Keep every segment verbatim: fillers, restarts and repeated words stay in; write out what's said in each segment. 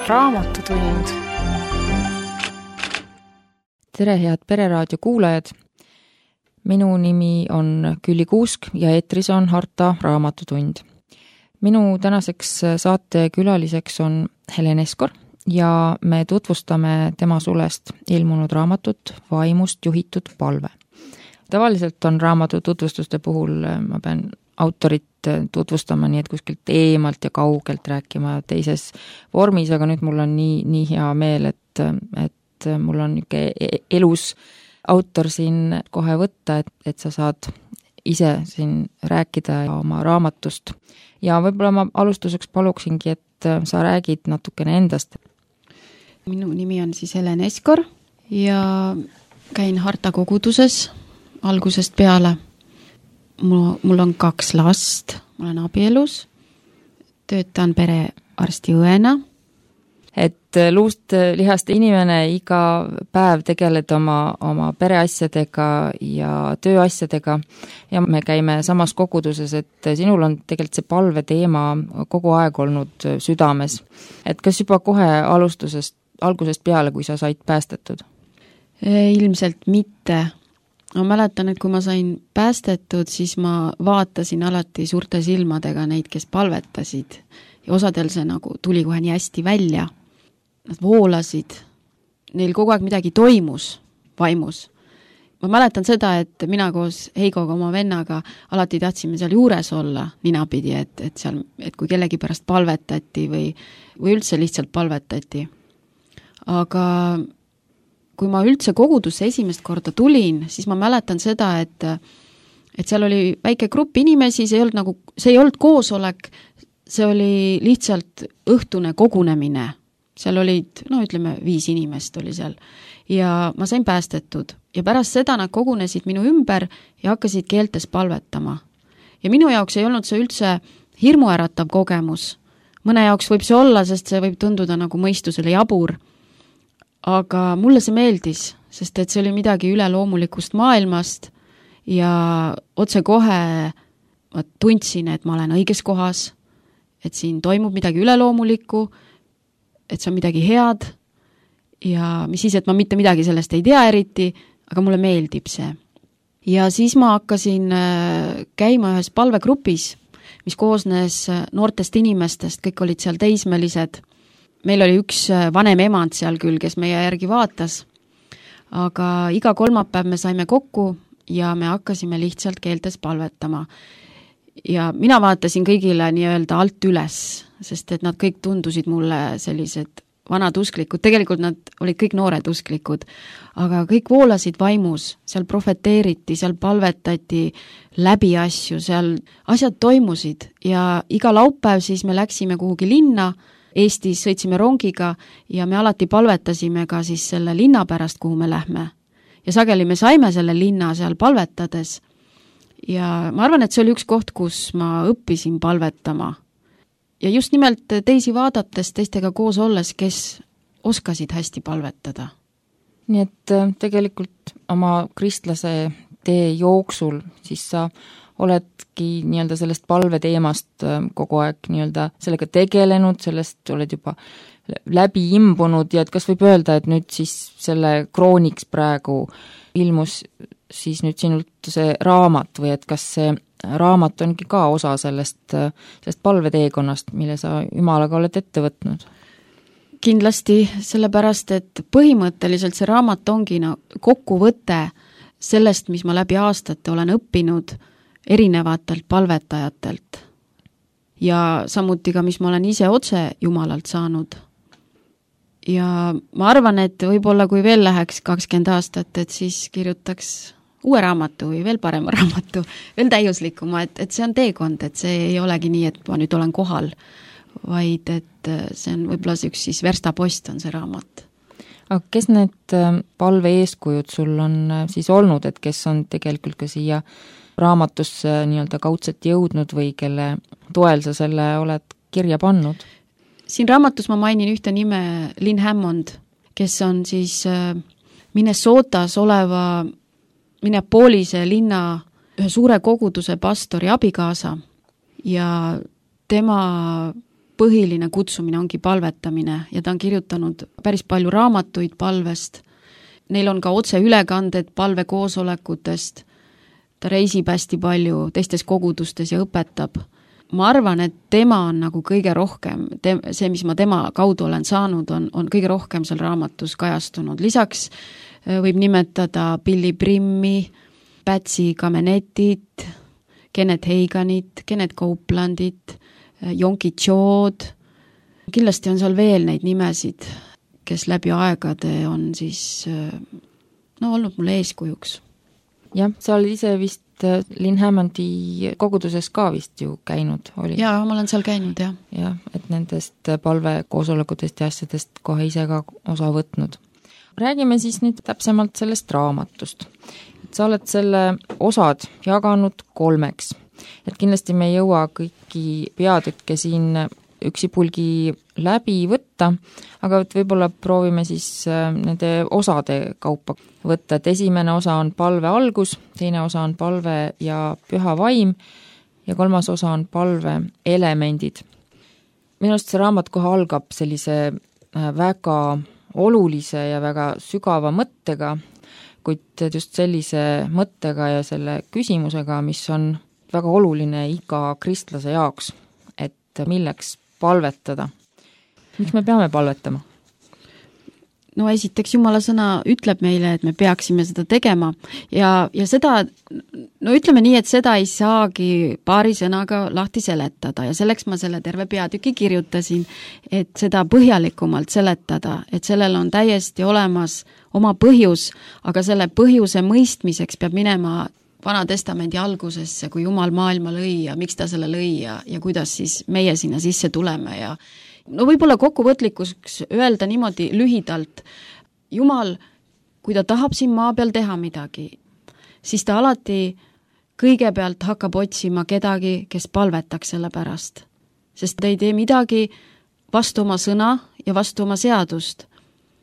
raamatutund. Tere, head Pereraadio kuulajad! Minu nimi on Külli Kuusk ja eetris on Harta raamatutund. Minu tänaseks saate külaliseks on Helen Eskor ja me tutvustame tema sulest ilmunud raamatut Vaimust juhitud palve. Tavaliselt on raamatu tutvustuste puhul, ma pean autorit tutvustama nii, et kuskilt eemalt ja kaugelt rääkima teises vormis, aga nüüd mul on nii, nii hea meel, et, et mul on niisugune elus autor siin kohe võtta, et, et sa saad ise siin rääkida oma raamatust. Ja võib-olla ma alustuseks paluksingi, et sa räägid natukene endast. Minu nimi on siis Helen Eskor ja käin Harta koguduses algusest peale. Mul, mul on kaks last, ma olen abielus, töötan perearsti õena. Et luust lihast inimene iga päev tegeled oma, oma pereasjadega ja tööasjadega ja me käime samas koguduses, et sinul on tegelikult see palve teema kogu aeg olnud südames. Et kas juba kohe alustusest, algusest peale, kui sa said päästetud? Ilmselt mitte. Ma mäletan, et kui ma sain päästetud, siis ma vaatasin alati suurte silmadega neid, kes palvetasid. Ja osadel see nagu tuli kohe nii hästi välja. Nad voolasid. Neil kogu aeg midagi toimus vaimus. Ma mäletan seda, et mina koos Heigoga oma vennaga alati tahtsime seal juures olla ninapidi, et, et, seal, et kui kellegi pärast palvetati või, või üldse lihtsalt palvetati. Aga kui ma üldse kogudusse esimest korda tulin, siis ma mäletan seda, et, et seal oli väike grupp inimesi, see ei olnud, nagu, see ei olnud koosolek, see oli lihtsalt õhtune kogunemine. Seal olid, no ütleme, viis inimest oli seal. Ja ma sain päästetud. Ja pärast seda nad kogunesid minu ümber ja hakkasid keeltes palvetama. Ja minu jaoks ei olnud see üldse hirmuäratav kogemus. Mõne jaoks võib see olla, sest see võib tunduda nagu mõistusele jabur. Aga mulle see meeldis, sest et see oli midagi üleloomulikust maailmast ja otse kohe ma tundsin, et ma olen õiges kohas, et siin toimub midagi üleloomulikku, et see on midagi head ja mis siis, et ma mitte midagi sellest ei tea eriti, aga mulle meeldib see. Ja siis ma hakkasin käima ühes palvegrupis, mis koosnes noortest inimestest, kõik olid seal teismelised. Meil oli üks vanem emand seal küll, kes meie järgi vaatas, aga iga kolmapäev me saime kokku ja me hakkasime lihtsalt keeltes palvetama. Ja mina vaatasin kõigile nii-öelda alt üles, sest et nad kõik tundusid mulle sellised vanad usklikud. Tegelikult nad olid kõik noored usklikud, aga kõik voolasid vaimus, seal profeteeriti, seal palvetati läbi asju, seal asjad toimusid ja iga laupäev siis me läksime kuhugi linna, Eestis sõitsime rongiga ja me alati palvetasime ka siis selle linna pärast, kuhu me lähme. Ja sageli me saime selle linna seal palvetades. Ja ma arvan, et see oli üks koht, kus ma õppisin palvetama. Ja just nimelt teisi vaadates, teistega koos olles, kes oskasid hästi palvetada. Nii et tegelikult oma kristlase tee jooksul siis sa oledki nii-öelda sellest palve teemast kogu aeg nii-öelda sellega tegelenud, sellest oled juba läbi imbunud ja et kas võib öelda, et nüüd siis selle krooniks praegu ilmus siis nüüd sinult see raamat või et kas see raamat ongi ka osa sellest, sellest palveteekonnast, mille sa Jumalaga oled ette võtnud? Kindlasti, sellepärast, et põhimõtteliselt see raamat ongi no, kokkuvõte sellest, mis ma läbi aastate olen õppinud erinevatelt palvetajatelt ja samuti ka, mis ma olen ise otse Jumalalt saanud. Ja ma arvan, et võib-olla kui veel läheks kakskümmend aastat, et siis kirjutaks uue raamatu või veel parema raamatu, veel täiuslikuma, et, et see on teekond, et see ei olegi nii, et ma nüüd olen kohal, vaid et see on võib-olla see üks siis verstapost on see raamat. Aga kes need palve eeskujud sul on siis olnud, et kes on tegelikult ka siia raamatusse nii-öelda kaudselt jõudnud või kelle toel sa selle oled kirja pannud? Siin raamatus ma mainin ühte nime Lynn Hammond, kes on siis Minnesotas oleva Minneapolise linna ühe suure koguduse pastori abikaasa ja tema põhiline kutsumine ongi palvetamine ja ta on kirjutanud päris palju raamatuid palvest. Neil on ka otseülekanded palvekoosolekutest, ta reisib hästi palju teistes kogudustes ja õpetab. Ma arvan, et tema on nagu kõige rohkem, te, see, mis ma tema kaudu olen saanud, on, on kõige rohkem seal raamatus kajastunud. Lisaks võib nimetada Billy Brimmi, Patsy Kamenetit, Kenneth Haganit, Kenneth Copelandit, Yonki Chood. Kindlasti on seal veel neid nimesid, kes läbi aegade on siis no, olnud mulle eeskujuks. Jah, sa olid ise vist Lynn Hammondi koguduses ka vist ju käinud. Oli. Jaa, ma olen seal käinud, jah. Jah, et nendest palvekoosolekutest ja asjadest kohe ise ka osa võtnud. Räägime siis nüüd täpsemalt sellest raamatust. Et sa oled selle osad jaganud kolmeks. Et kindlasti me ei jõua kõiki peatükke siin üksipulgi läbi võtta, aga võib-olla proovime siis nende osade kaupa võtta, et esimene osa on palve algus, teine osa on palve ja püha vaim ja kolmas osa on palve elemendid. Minu arust see raamat kohe algab sellise väga olulise ja väga sügava mõttega, kuid just sellise mõttega ja selle küsimusega, mis on väga oluline iga kristlase jaoks, et milleks palvetada. Miks me peame palvetama? No esiteks Jumala sõna ütleb meile, et me peaksime seda tegema ja, ja seda, no ütleme nii, et seda ei saagi paari sõnaga lahti seletada ja selleks ma selle terve peatüki kirjutasin, et seda põhjalikumalt seletada, et sellel on täiesti olemas oma põhjus, aga selle põhjuse mõistmiseks peab minema Vana testamendi algusesse, kui Jumal maailma lõi ja miks ta selle lõi ja, ja kuidas siis meie sinna sisse tuleme ja no võib-olla kokkuvõtlikuks öelda niimoodi lühidalt, Jumal, kui ta tahab siin maa peal teha midagi, siis ta alati kõigepealt hakkab otsima kedagi, kes palvetaks selle pärast. Sest ta ei tee midagi vastu oma sõna ja vastu oma seadust.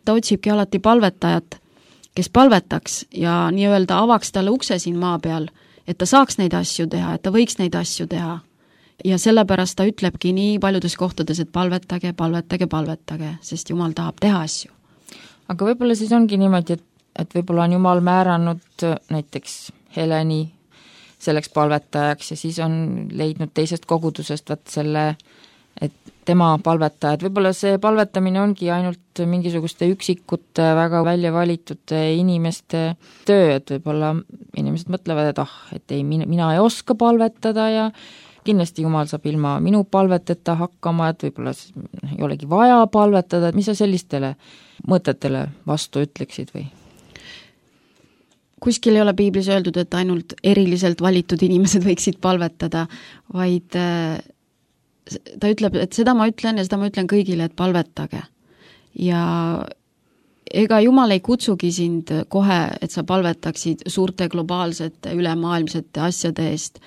Ta otsibki alati palvetajat, kes palvetaks ja nii-öelda avaks talle ukse siin maa peal, et ta saaks neid asju teha, et ta võiks neid asju teha. Ja sellepärast ta ütlebki nii paljudes kohtades, et palvetage, palvetage, palvetage, sest Jumal tahab teha asju. Aga võib-olla siis ongi niimoodi, et, et võib-olla on Jumal määranud näiteks Heleni selleks palvetajaks ja siis on leidnud teisest kogudusest vaat selle, et tema palvetajad, võib-olla see palvetamine ongi ainult mingisuguste üksikute, väga välja valitud inimeste töö, et võib-olla inimesed mõtlevad, et ah, et ei, mina ei oska palvetada ja kindlasti Jumal saab ilma minu palveteta hakkama, et võib-olla ei olegi vaja palvetada, et mis sa sellistele mõtetele vastu ütleksid või? Kuskil ei ole piiblis öeldud, et ainult eriliselt valitud inimesed võiksid palvetada, vaid ta ütleb, et seda ma ütlen ja seda ma ütlen kõigile, et palvetage. Ja ega Jumal ei kutsugi sind kohe, et sa palvetaksid suurte globaalsete ülemaailmsete asjade eest,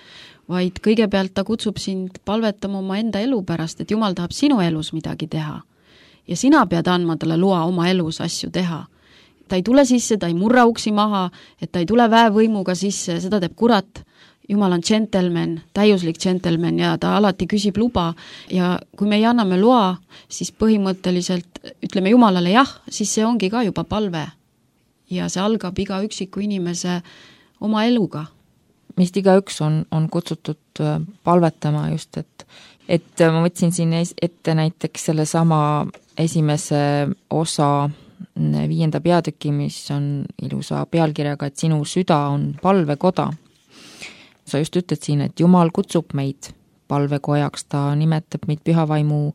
vaid kõigepealt ta kutsub sind palvetama oma enda elu pärast, et Jumal tahab sinu elus midagi teha. Ja sina pead andma talle loa oma elus asju teha. Ta ei tule sisse, ta ei murra uksi maha, et ta ei tule väevõimuga sisse, seda teeb kurat. Jumal on džentelmen, täiuslik džentelmen ja ta alati küsib luba ja kui me ei anname loa, siis põhimõtteliselt ütleme Jumalale jah, siis see ongi ka juba palve ja see algab iga üksiku inimese oma eluga. Mist igaüks on, on kutsutud palvetama just, et, et ma võtsin siin ette näiteks selle sama esimese osa viienda peatüki, mis on ilusa pealkirjaga, et sinu süda on palvekoda. Sa just ütled siin, et Jumal kutsub meid palvekojaks, ta nimetab meid pühavaimu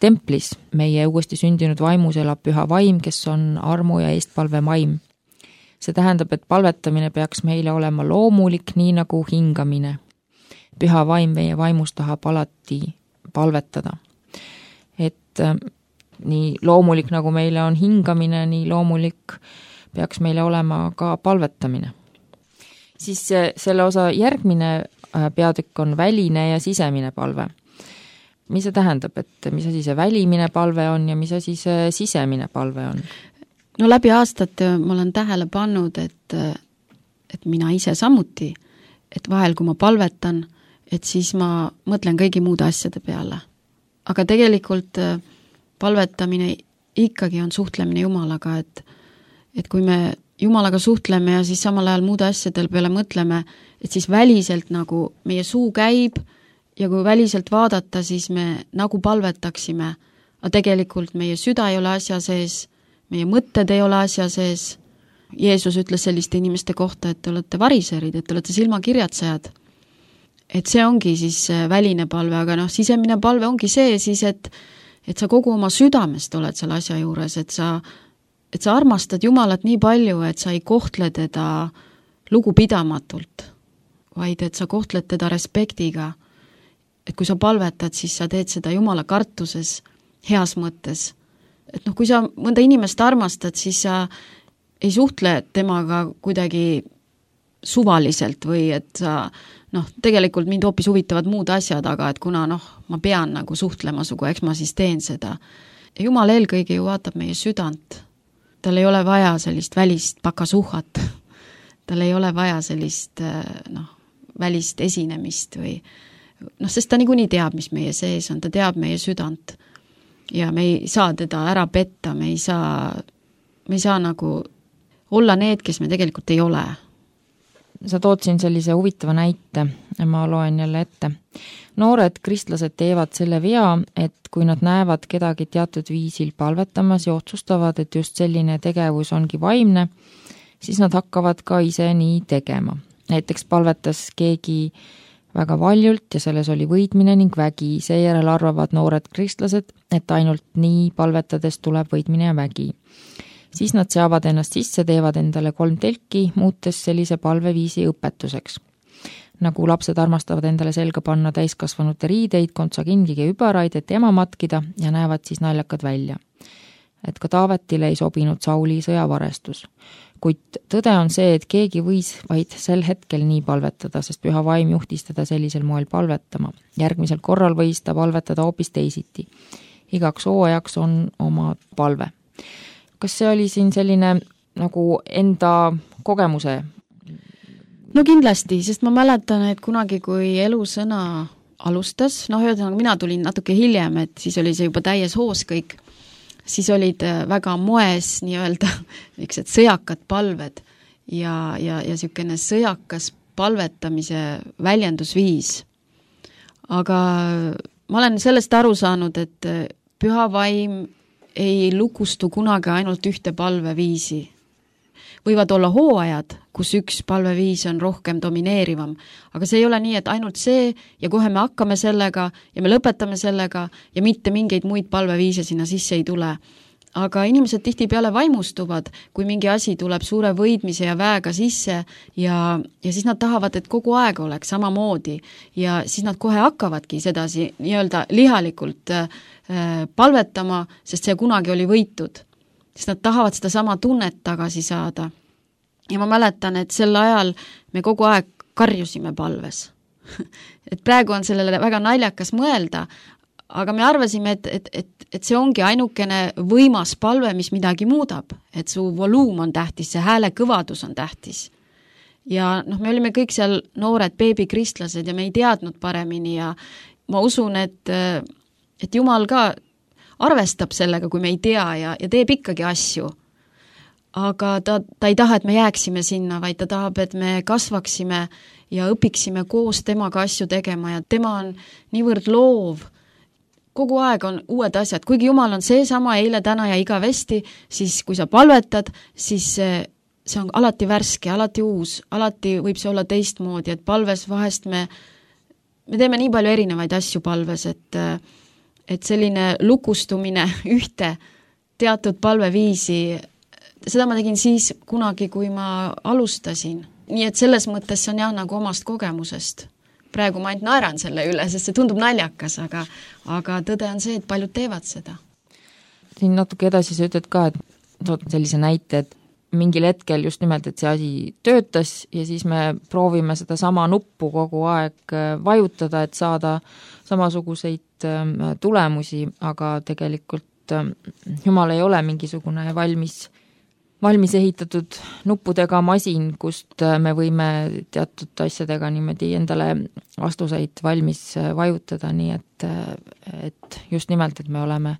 templis. Meie uuesti sündinud vaimus elab püha vaim, kes on armu ja eestpalve maim. See tähendab, et palvetamine peaks meile olema loomulik, nii nagu hingamine. Püha vaim meie vaimus tahab alati palvetada. Et äh, nii loomulik, nagu meile on hingamine, nii loomulik peaks meile olema ka palvetamine. Siis selle osa järgmine peatükk on väline ja sisemine palve. Mis see tähendab, et mis asi see välimine palve on ja mis asi see sisemine palve on? No läbi aastate ma olen tähele pannud, et, et mina ise samuti, et vahel kui ma palvetan, et siis ma mõtlen kõigi muude asjade peale. aga tegelikult palvetamine ikkagi on suhtlemine Jumalaga, et, et kui me Jumalaga suhtleme ja siis samal ajal muude asjadel peale mõtleme, et siis väliselt nagu meie suu käib ja kui väliselt vaadata, siis me nagu palvetaksime, aga tegelikult meie süda ei ole asja sees, meie mõtted ei ole asja sees. Jeesus ütles selliste inimeste kohta, et te olete variserid, et te olete silmakirjatsejad. Et see ongi siis väline palve, aga noh, sisemine palve ongi see siis, et, et sa kogu oma südamest oled selle asja juures, et sa, et sa armastad Jumalat nii palju, et sa ei kohtle teda lugupidamatult, vaid et sa kohtled teda respektiga. Et kui sa palvetad, siis sa teed seda Jumala kartuses, heas mõttes. Et noh, kui sa mõnda inimest armastad, siis sa ei suhtle temaga kuidagi suvaliselt või et sa, noh, tegelikult mind hoopis huvitavad muud asjad, aga et kuna noh, ma pean nagu suhtlema sugu, eks ma siis teen seda. Ja Jumal eelkõige ju vaatab meie südant. Tal ei ole vaja sellist välist pakasuhat. Tal ei ole vaja sellist noh, välist esinemist või noh, sest ta niikuinii teab, mis meie sees on, ta teab meie südant ja me ei saa teda ära petta, me ei saa, me ei saa nagu olla need, kes me tegelikult ei ole. Sa tood siin sellise huvitava näite, ma loen jälle ette. Noored kristlased teevad selle vea, et kui nad näevad kedagi teatud viisil palvetamas ja otsustavad, et just selline tegevus ongi vaimne, siis nad hakkavad ka ise nii tegema. Näiteks palvetas keegi väga valjult ja selles oli võidmine ning vägi. Seejärel arvavad noored kristlased, et ainult nii palvetades tuleb võidmine ja vägi. Siis nad seavad ennast sisse, teevad endale kolm telki, muutes sellise palveviisi õpetuseks. Nagu lapsed armastavad endale selga panna täiskasvanute riideid, kontsakingige übaraid, et ema matkida ja näevad siis naljakad välja. Et ka Taavetile ei sobinud Sauli sõjavarestus. Kuid tõde on see, et keegi võis vaid sel hetkel nii palvetada, sest püha vaim juhtis teda sellisel moel palvetama. Järgmisel korral võis ta palvetada hoopis teisiti. Igaks hooajaks on oma palve. Kas see oli siin selline nagu enda kogemuse? No kindlasti, sest ma mäletan, et kunagi, kui elusõna alustas, noh, ühesõnaga mina tulin natuke hiljem, et siis oli see juba täies hoos kõik, siis olid väga moes nii-öelda niisugused sõjakad palved ja, ja, ja niisugune sõjakas palvetamise väljendusviis. Aga ma olen sellest aru saanud, et püha vaim ei lukustu kunagi ainult ühte palveviisi. Võivad olla hooajad, kus üks palveviis on rohkem domineerivam, aga see ei ole nii, et ainult see ja kohe me hakkame sellega ja me lõpetame sellega ja mitte mingeid muid palveviise sinna sisse ei tule. Aga inimesed tihtipeale vaimustuvad, kui mingi asi tuleb suure võidmise ja väega sisse ja, ja siis nad tahavad, et kogu aeg oleks samamoodi ja siis nad kohe hakkavadki sedasi nii-öelda lihalikult äh, palvetama, sest see kunagi oli võitud. Sest nad tahavad seda sama tunnet tagasi saada. Ja ma mäletan, et sel ajal me kogu aeg karjusime palves. Et praegu on sellele väga naljakas mõelda, aga me arvasime, et, et, et, et see ongi ainukene võimas palve, mis midagi muudab. Et su voluum on tähtis, see hääle kõvadus on tähtis. Ja noh, me olime kõik seal noored beebikristlased ja me ei teadnud paremini ja ma usun, et, et Jumal ka arvestab sellega, kui me ei tea ja, ja teeb ikkagi asju. Aga ta, ta ei taha, et me jääksime sinna, vaid ta tahab, et me kasvaksime ja õpiksime koos temaga asju tegema ja tema on niivõrd loov. Kogu aeg on uued asjad. Kuigi Jumal on see sama eile, täna ja igavesti, siis kui sa palvetad, siis see, see on alati värske, alati uus, alati võib see olla teistmoodi, et palves vahest me, me teeme nii palju erinevaid asju palves, et et selline lukustumine ühte teatud palveviisi, seda ma tegin siis kunagi, kui ma alustasin. Nii et selles mõttes see on jah nagu omast kogemusest. Praegu ma ainult naeran selle üle, sest see tundub naljakas, aga, aga tõde on see, et paljud teevad seda. Siin natuke edasi sa ütled ka, et tood sellise näite, et mingil hetkel just nimelt, et see asi töötas ja siis me proovime seda sama nuppu kogu aeg vajutada, et saada samasuguseid tulemusi, aga tegelikult Jumal ei ole mingisugune valmis valmis ehitatud nuppudega masin, kust me võime teatud asjadega niimoodi endale vastuseid valmis vajutada, nii et, et just nimelt, et me oleme,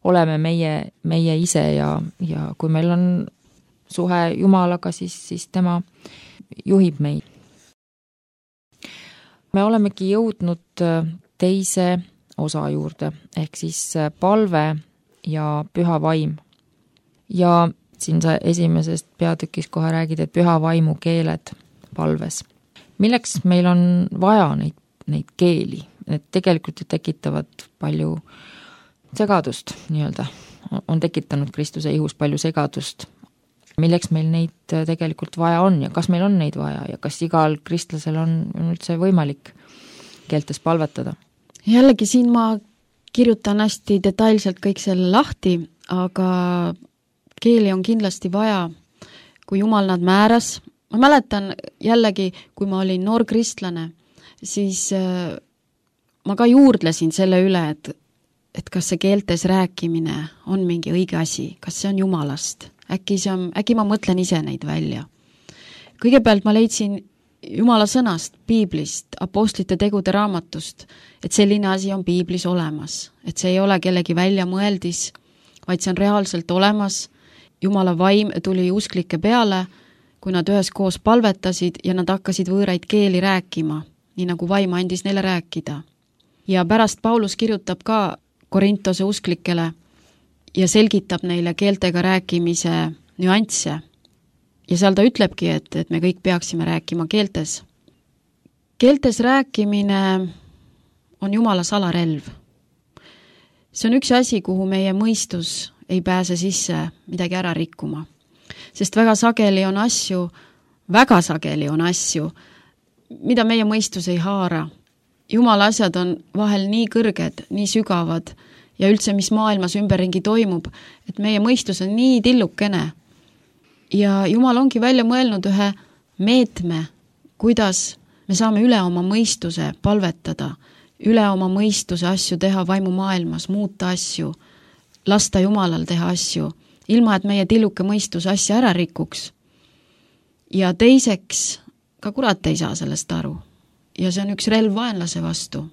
oleme meie, meie ise ja, ja kui meil on suhe Jumalaga, siis, siis tema juhib meid. Me olemegi jõudnud teise osa juurde, ehk siis palve ja püha vaim. Ja siin sa esimesest peatükis kohe räägid, et püha vaimu keeled palves. Milleks meil on vaja neid, neid keeli? Need tegelikult tekitavad palju segadust, nii-öelda. On tekitanud Kristuse ihus palju segadust. Milleks meil neid tegelikult vaja on ja kas meil on neid vaja ja kas igal kristlasel on üldse võimalik keeltes palvetada? Jällegi siin ma kirjutan hästi detailselt kõik selle lahti, aga keeli on kindlasti vaja, kui Jumal nad määras. Ma mäletan jällegi, kui ma olin noor kristlane, siis ma ka juurdlesin selle üle, et, et kas see keeltes rääkimine on mingi õige asi, kas see on Jumalast. Äkki, see on, äkki ma mõtlen ise neid välja. Kõigepealt ma leidsin Jumala sõnast, Piiblist, apostlite tegude raamatust, et selline asi on Piiblis olemas, et see ei ole kellegi välja mõeldis, vaid see on reaalselt olemas. Jumala vaim tuli usklike peale, kui nad üheskoos palvetasid ja nad hakkasid võõraid keeli rääkima, nii nagu vaim andis neile rääkida. Ja pärast Paulus kirjutab ka Korintose usklikele ja selgitab neile keeltega rääkimise nüansse. Ja seal ta ütlebki, et, et me kõik peaksime rääkima keeltes. Keeltes rääkimine on Jumala salarelv. See on üks asi, kuhu meie mõistus ei pääse sisse midagi ära rikkuma. Sest väga sageli on asju, väga sageli on asju, mida meie mõistus ei haara. Jumala asjad on vahel nii kõrged, nii sügavad ja üldse, mis maailmas ümberringi toimub, et meie mõistus on nii tillukene. Ja Jumal ongi välja mõelnud ühe meetme, kuidas me saame üle oma mõistuse palvetada, üle oma mõistuse asju teha vaimu maailmas, muuta asju, lasta Jumalal teha asju, ilma et meie tilluke mõistus asja ära rikuks. Ja teiseks, ka kurat ei saa sellest aru. Ja see on üks relv vaenlase vastu.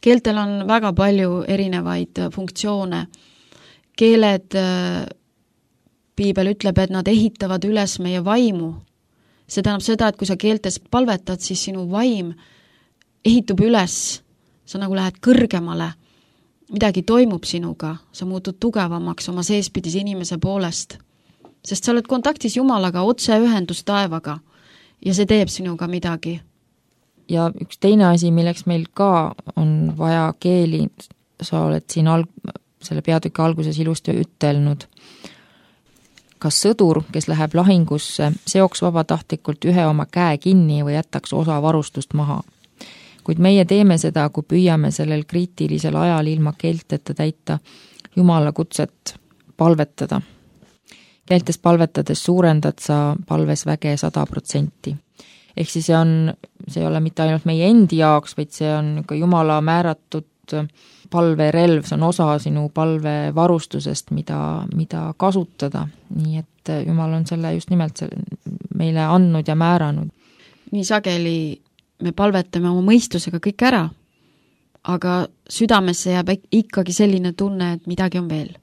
Keeltel on väga palju erinevaid funktsioone. Keeled, Piibel ütleb, et nad ehitavad üles meie vaimu. See tähendab seda, et kui sa keeltes palvetad, siis sinu vaim ehitub üles. Sa nagu lähed kõrgemale. Midagi toimub sinuga, sa muutud tugevamaks oma seespidis inimese poolest, sest sa oled kontaktis Jumalaga, otse ühendus taevaga ja see teeb sinuga midagi. Ja üks teine asi, milleks meil ka on vaja keeli, sa oled siin alg- selle peatüki alguses ilusti ütelnud, kas sõdur, kes läheb lahingusse, seoks vabatahtlikult ühe oma käe kinni või jätaks osa varustust maha. Kuid meie teeme seda, kui püüame sellel kriitilisel ajal ilma keelteta täita Jumala kutset palvetada. Keeltes palvetades suurendad sa palves väge sada protsenti. Ehk siis see on, see ei ole mitte ainult meie endi jaoks, vaid see on Jumala määratud palverelv, see on osa sinu palvevarustusest, mida, mida kasutada. Nii et Jumal on selle just nimelt meile andnud ja määranud. Nii sageli me palvetame oma mõistusega kõik ära, aga südamesse jääb ikkagi selline tunne, et midagi on veel.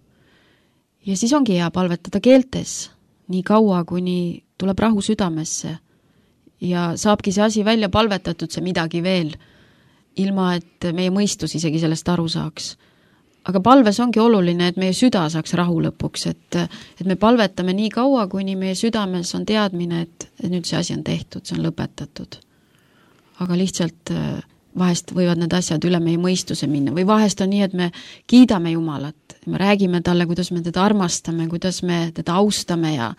Ja siis ongi hea palvetada keeltes, nii kaua, kuni tuleb rahu südamesse ja saabki see asi välja palvetatud, see midagi veel, ilma et meie mõistus isegi sellest aru saaks. Aga palves ongi oluline, et meie süda saaks rahu lõpuks, et, et me palvetame nii kaua, kuni meie südames on teadmine, et, et nüüd see asi on tehtud, see on lõpetatud. Aga lihtsalt vahest võivad need asjad üle meie mõistuse minna või vahest on nii, et me kiidame Jumalat, me räägime talle, kuidas me teda armastame, kuidas me teda austame ja,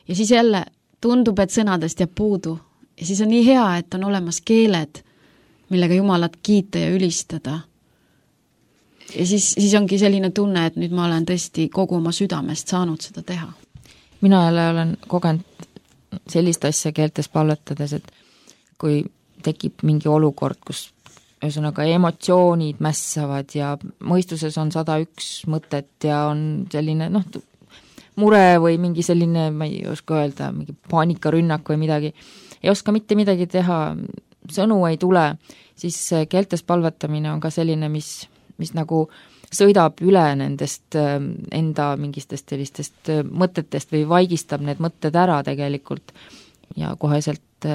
ja siis jälle tundub, et sõnadest jääb puudu ja siis on nii hea, et on olemas keeled, millega Jumalat kiita ja ülistada. Ja siis, siis ongi selline tunne, et nüüd ma olen tõesti kogu oma südamest saanud seda teha. Mina jälle olen kogenud sellist asja keeltes palvetades, et kui tekib mingi olukord, kus ühesõnaga emotsioonid mässavad ja mõistuses on sada üks mõtet ja on selline, noh, mure või mingi selline, ma ei oska öelda, mingi paanikarünnak või midagi, ei oska mitte midagi teha, sõnu ei tule, siis keeltes palvetamine on ka selline, mis, mis nagu sõidab üle nendest enda mingistest sellistest mõtetest või vaigistab need mõtted ära tegelikult ja koheselt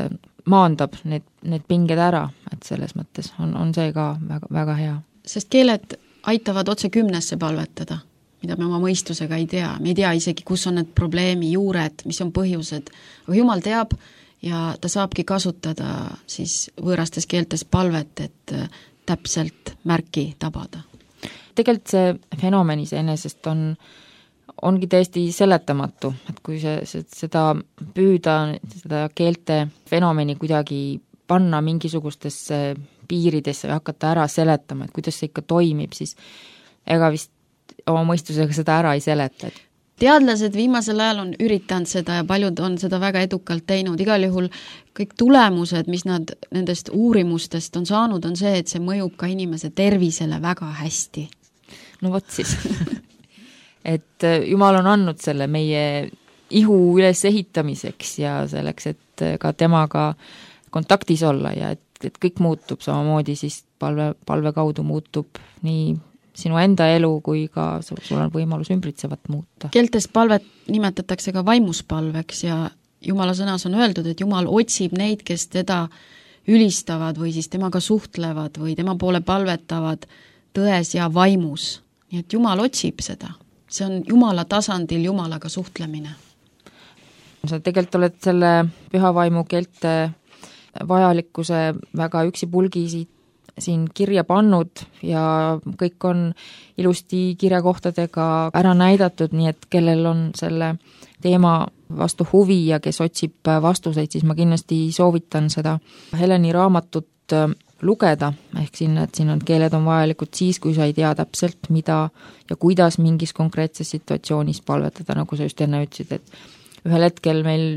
maandab need, need pinged ära, et selles mõttes on, on see ka väga, väga hea. Sest keeled aitavad otse kümnesse palvetada, mida me oma mõistusega ei tea. Me ei tea isegi, kus on need probleemi juured, mis on põhjused, aga Jumal teab ja ta saabki kasutada siis võõrastes keeltes palvet, et täpselt märki tabada. Tegelikult see fenomen iseenesest on, ongi täiesti seletamatu, et kui see, see, seda püüda, seda keelte fenomeni kuidagi panna mingisugustesse piiridesse või hakata ära seletama, et kuidas see ikka toimib, siis ega vist oma mõistusega seda ära ei seleta. Teadlased viimasel ajal on üritanud seda ja paljud on seda väga edukalt teinud. Igal juhul kõik tulemused, mis nad nendest uurimustest on saanud, on see, et see mõjub ka inimese tervisele väga hästi. No vot siis. et Jumal on andnud selle meie ihu üles ehitamiseks ja selleks, et ka temaga kontaktis olla ja et, et kõik muutub samamoodi, siis palve, palve kaudu muutub nii sinu enda elu kui ka sul on võimalus ümbritsevat muuta. Keeltes palvet nimetatakse ka vaimuspalveks ja Jumala sõnas on öeldud, et Jumal otsib neid, kes teda ülistavad või siis temaga suhtlevad või tema poole palvetavad tões ja vaimus. Nii et Jumal otsib seda. See on Jumala tasandil Jumalaga suhtlemine. Sa tegelikult oled selle püha vaimu keelte vajalikkuse väga üksipulgi siit siin kirja pannud ja kõik on ilusti kirjakohtadega ära näidatud, nii et kellel on selle teema vastu huvi ja kes otsib vastuseid, siis ma kindlasti soovitan seda Heleni raamatut lugeda, ehk siin, et siin on keeled on vajalikud siis, kui sa ei tea täpselt, mida ja kuidas mingis konkreetses situatsioonis palvetada, nagu sa just enne ütlesid, et ühel hetkel meil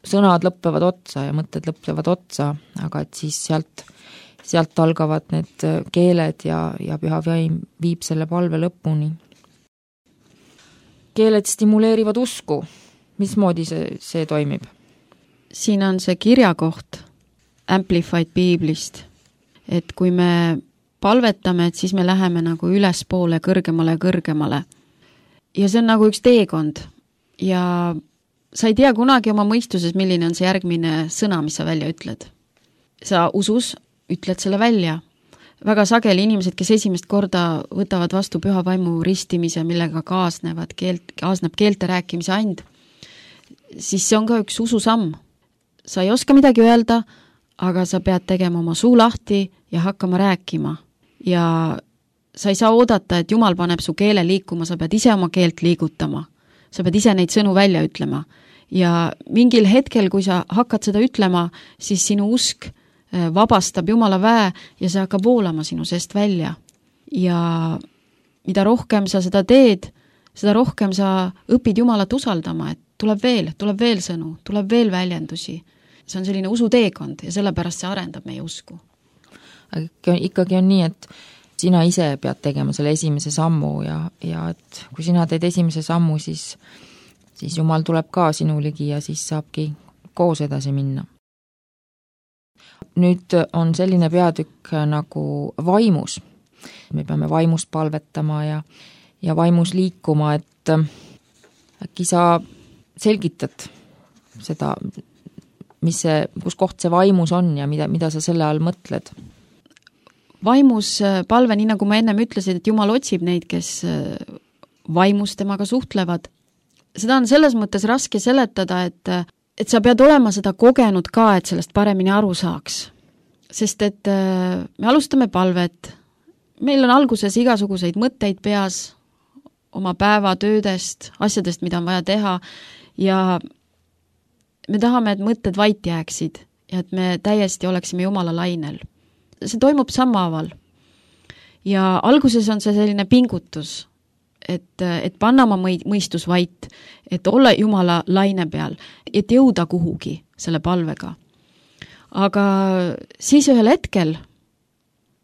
sõnad lõppevad otsa ja mõtted lõppevad otsa, aga et siis sealt sealt algavad need keeled ja, ja püha vaim viib selle palve lõpuni. Keeled stimuleerivad usku. Mismoodi see, see toimib? Siin on see kirjakoht Amplified Biiblist, et kui me palvetame, et siis me läheme nagu ülespoole, kõrgemale ja kõrgemale. Ja see on nagu üks teekond ja sa ei tea kunagi oma mõistuses, milline on see järgmine sõna, mis sa välja ütled. Sa usus ütled selle välja. Väga sageli inimesed, kes esimest korda võtavad vastu püha vaimu ristimise, millega kaasnevad keelt, kaasneb keelte rääkimise and, siis see on ka üks ususamm. Sa ei oska midagi öelda, aga sa pead tegema oma suu lahti ja hakkama rääkima. Ja sa ei saa oodata, et Jumal paneb su keele liikuma, sa pead ise oma keelt liigutama. Sa pead ise neid sõnu välja ütlema. Ja mingil hetkel, kui sa hakkad seda ütlema, siis sinu usk vabastab Jumala väe ja see hakkab voolama sinu seest välja. Ja mida rohkem sa seda teed, seda rohkem sa õpid Jumalat usaldama, et tuleb veel, tuleb veel sõnu, tuleb veel väljendusi. See on selline usuteekond ja sellepärast see arendab meie usku. Aga ikkagi on nii, et sina ise pead tegema selle esimese sammu ja, ja et kui sina teed esimese sammu, siis, siis Jumal tuleb ka sinu ligi ja siis saabki koos edasi minna. Nüüd on selline peatükk nagu vaimus. Me peame vaimus palvetama ja, ja vaimus liikuma, et äkki sa selgitad seda, mis see, kus koht see vaimus on ja mida, mida sa selle all mõtled? Vaimus palve, nii nagu ma ennem ütlesin, et Jumal otsib neid, kes vaimus temaga suhtlevad. Seda on selles mõttes raske seletada, et et sa pead olema seda kogenud ka, et sellest paremini aru saaks. Sest et me alustame palvet, meil on alguses igasuguseid mõtteid peas, oma päeva töödest, asjadest, mida on vaja teha ja me tahame, et mõtted vait jääksid ja et me täiesti oleksime Jumala lainel. See toimub sammhaaval ja alguses on see selline pingutus, et, et panna oma mõistus vait, et olla Jumala laine peal, et jõuda kuhugi selle palvega. Aga siis ühel hetkel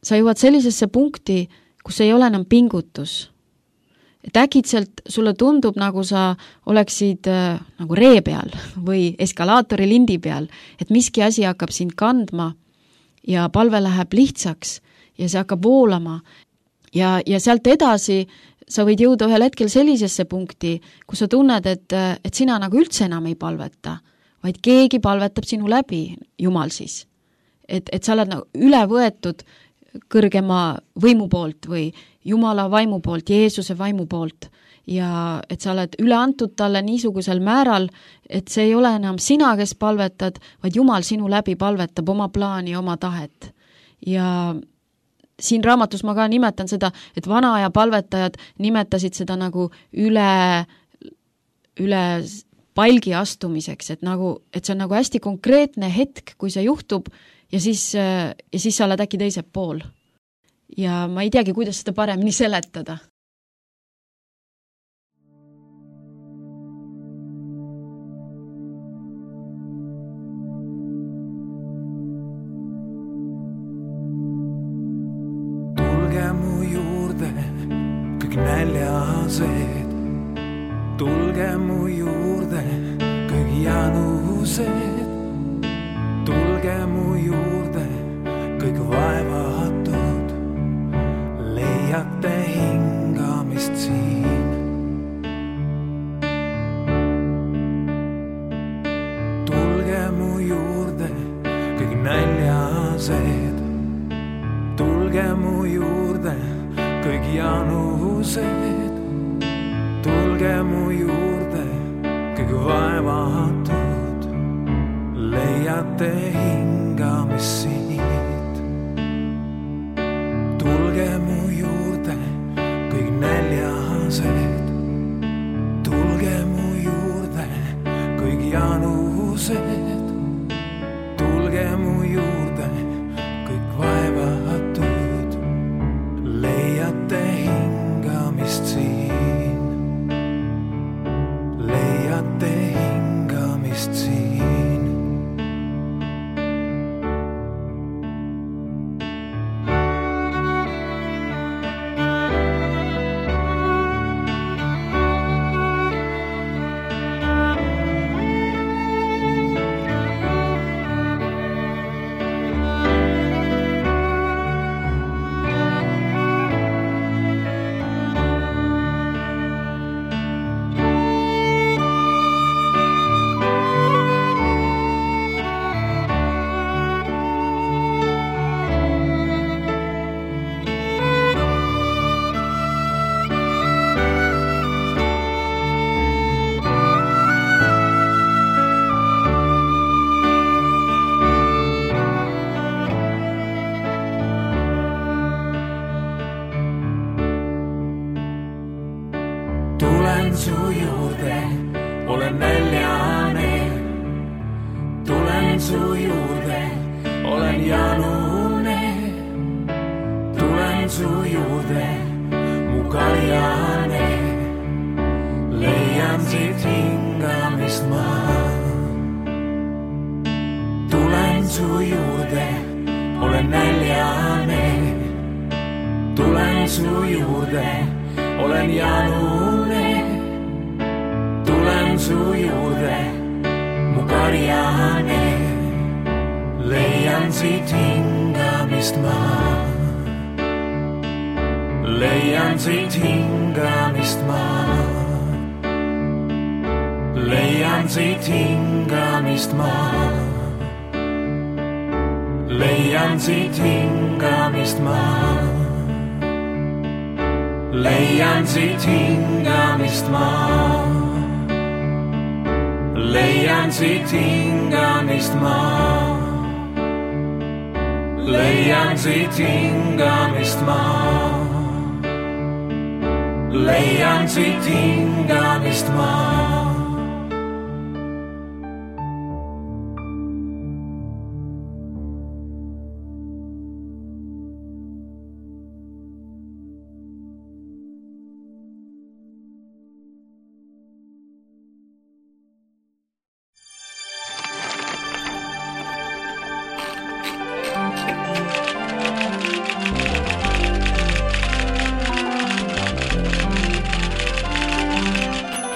sa jõuad sellisesse punkti, kus ei ole enam pingutus. et äkitselt sulle tundub, nagu sa oleksid äh, nagu ree peal või eskalaatori lindi peal, et miski asi hakkab sind kandma ja palve läheb lihtsaks ja see hakkab voolama ja, ja sealt edasi sa võid jõuda ühel hetkel sellisesse punkti, kus sa tunned, et, et sina nagu üldse enam ei palveta, vaid keegi palvetab sinu läbi, Jumal siis. Et, et sa oled nagu üle võetud kõrgema võimu poolt või Jumala vaimu poolt, Jeesuse vaimu poolt ja et sa oled üle antud talle niisugusel määral, et see ei ole enam sina, kes palvetad, vaid Jumal sinu läbi palvetab oma plaani, oma tahet. Ja siin raamatus ma ka nimetan seda, et vana aja palvetajad nimetasid seda nagu üle, üle palgi astumiseks, et, nagu, et see on nagu hästi konkreetne hetk, kui see juhtub ja siis, ja siis sa oled äkki teisel pool. Ja ma ei teagi, kuidas seda paremini seletada. Tulge mu juurde, kõik näljased. Tulge mu juurde, kõik janused. Tulge mu juurde, kõik vaevatud. Leiate hingamist siin. Tulge mu juurde, kõik näljased. Tulge mu juurde, kõik janused. Tulge mu juurde, kõik vaevatud. Leiate hingamist siit. Tulge mu juurde, kõik näljased. Tulge mu juurde, kõik janused. Tulge mu juurde, kõik vaevatud. Leiate hingamist siin. Leiate hingamist siin. Tulen su juurde, olen näljane. Tulen su juurde, olen janune. Tulen su juurde, mu kaljane. Leian siit hingamist ma. Tulen su juurde, olen näljane. Tulen su juurde, olen janune. Tulen su juurde, mu karjane. Leian siit hingamist ma. Leian siit hingamist ma. Leian siit hingamist ma. Leian siit hingamist ma. Leian siit hingamist ma. Leian siit hingamist ma. Leian siit hingamist ma. Leian siit hingamist ma.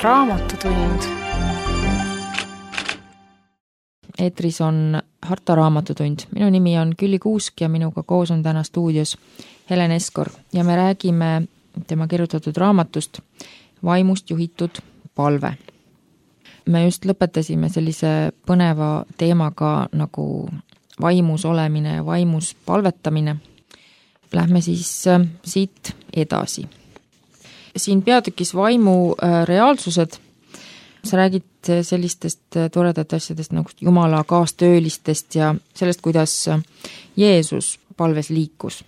Raamatutund. Eetris on Harta Raamatutund. Minu nimi on Külli Kuusk ja minuga koos on täna stuudios Helen Eskor ja me räägime tema kirjutatud raamatust Vaimust juhitud palve. Me just lõpetasime sellise põneva teemaga nagu vaimus olemine ja vaimus palvetamine. Lähme siis siit edasi. Siin peatükis vaimu reaalsused. Sa räägid sellistest toredat asjadest nagu Jumala kaastöölistest ja sellest, kuidas Jeesus palves liikus.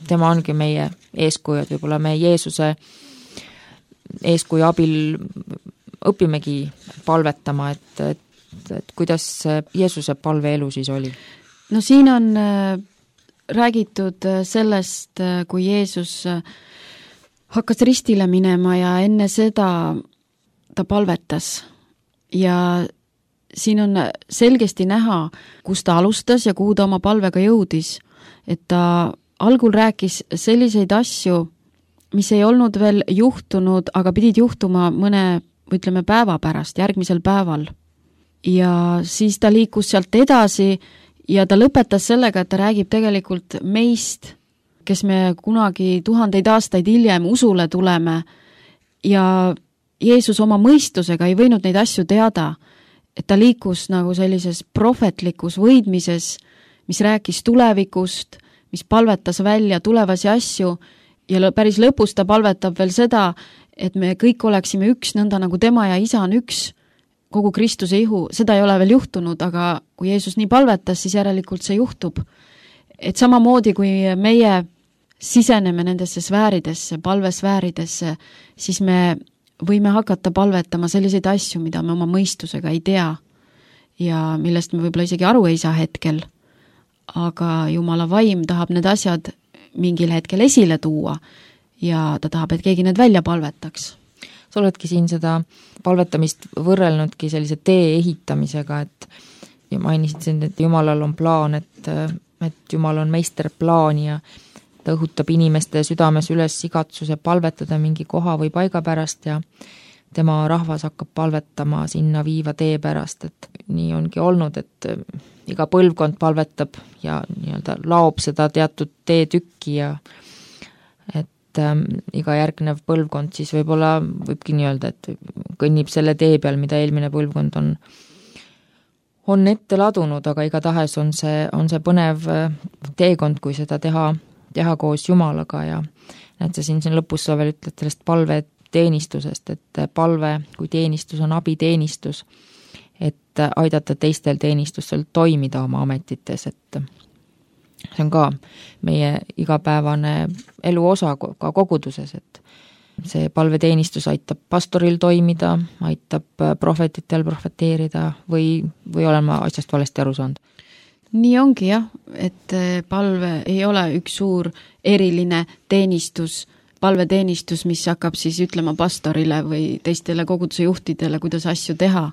Tema ongi meie eeskujud, võib-olla me Jeesuse eeskuju abil õpimegi palvetama, et, et, et kuidas Jeesuse palveelu siis oli? No siin on räägitud sellest, kui Jeesus hakkas ristile minema ja enne seda ta palvetas ja siin on selgesti näha, kus ta alustas ja kuhu ta oma palvega jõudis, et ta algul rääkis selliseid asju, mis ei olnud veel juhtunud, aga pidid juhtuma mõne, ütleme, päeva pärast, järgmisel päeval. Ja siis ta liikus sealt edasi ja ta lõpetas sellega, et ta räägib tegelikult meist, kes me kunagi tuhandeid aastaid hiljem usule tuleme ja Jeesus oma mõistusega ei võinud neid asju teada, et ta liikus nagu sellises prohvetlikus võidmises, mis rääkis tulevikust, mis palvetas välja tulevasi asju ja päris lõpus ta palvetab veel seda, et me kõik oleksime üks, nõnda nagu tema ja isa on üks, kogu Kristuse ihu, seda ei ole veel juhtunud, aga kui Jeesus nii palvetas, siis järelikult see juhtub. Et samamoodi, kui meie siseneme nendesse sfääridesse, palvesfääridesse, siis me võime hakata palvetama selliseid asju, mida me oma mõistusega ei tea ja millest me võib-olla isegi aru ei saa hetkel, aga Jumala vaim tahab need asjad mingil hetkel esile tuua ja ta tahab, et keegi need välja palvetaks. Sa oledki siin seda palvetamist võrrelnudki sellise tee ehitamisega, et ja mainisid siin, et Jumalal on plaan, et, et Jumal on meisterplaan ja ta õhutab inimeste südames üles igatsuse palvetada mingi koha või paiga pärast ja tema rahvas hakkab palvetama sinna viiva tee pärast, et nii ongi olnud, et iga põlvkond palvetab ja nii-öelda laob seda teatud teetükki ja et ähm, iga järgnev põlvkond siis võib-olla võibki nii-öelda, et kõnnib selle tee peal, mida eelmine põlvkond on on ette ladunud, aga igatahes on see, on see põnev teekond, kui seda teha teha koos Jumalaga ja näed sa siin, siin lõpus sa veel ütled sellest palve teenistusest, et palve kui teenistus on abiteenistus, et aidata teistel teenistusel toimida oma ametites, et see on ka meie igapäevane elu osa ka koguduses, et see palveteenistus aitab pastoril toimida, aitab prohvetitel profeteerida või, või olen ma asjast valesti aru saanud? Nii ongi jah, et palve ei ole üks suur eriline teenistus, palveteenistus, mis hakkab siis ütlema pastorile või teistele koguduse juhtidele, kuidas asju teha,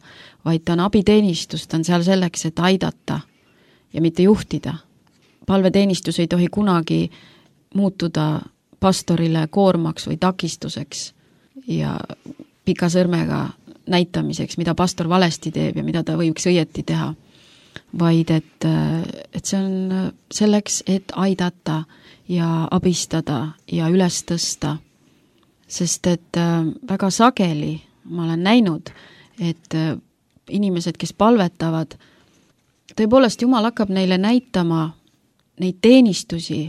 vaid ta on abiteenistus, ta on seal selleks, et aidata ja mitte juhtida. Palveteenistus ei tohi kunagi muutuda pastorile koormaks või takistuseks ja pika sõrmega näitamiseks, mida pastor valesti teeb ja mida ta võiks õieti teha, vaid et, et see on selleks, et aidata ja abistada ja üles tõsta. Sest et väga sageli ma olen näinud, et inimesed, kes palvetavad, tõepoolest Jumal hakkab neile näitama neid teenistusi,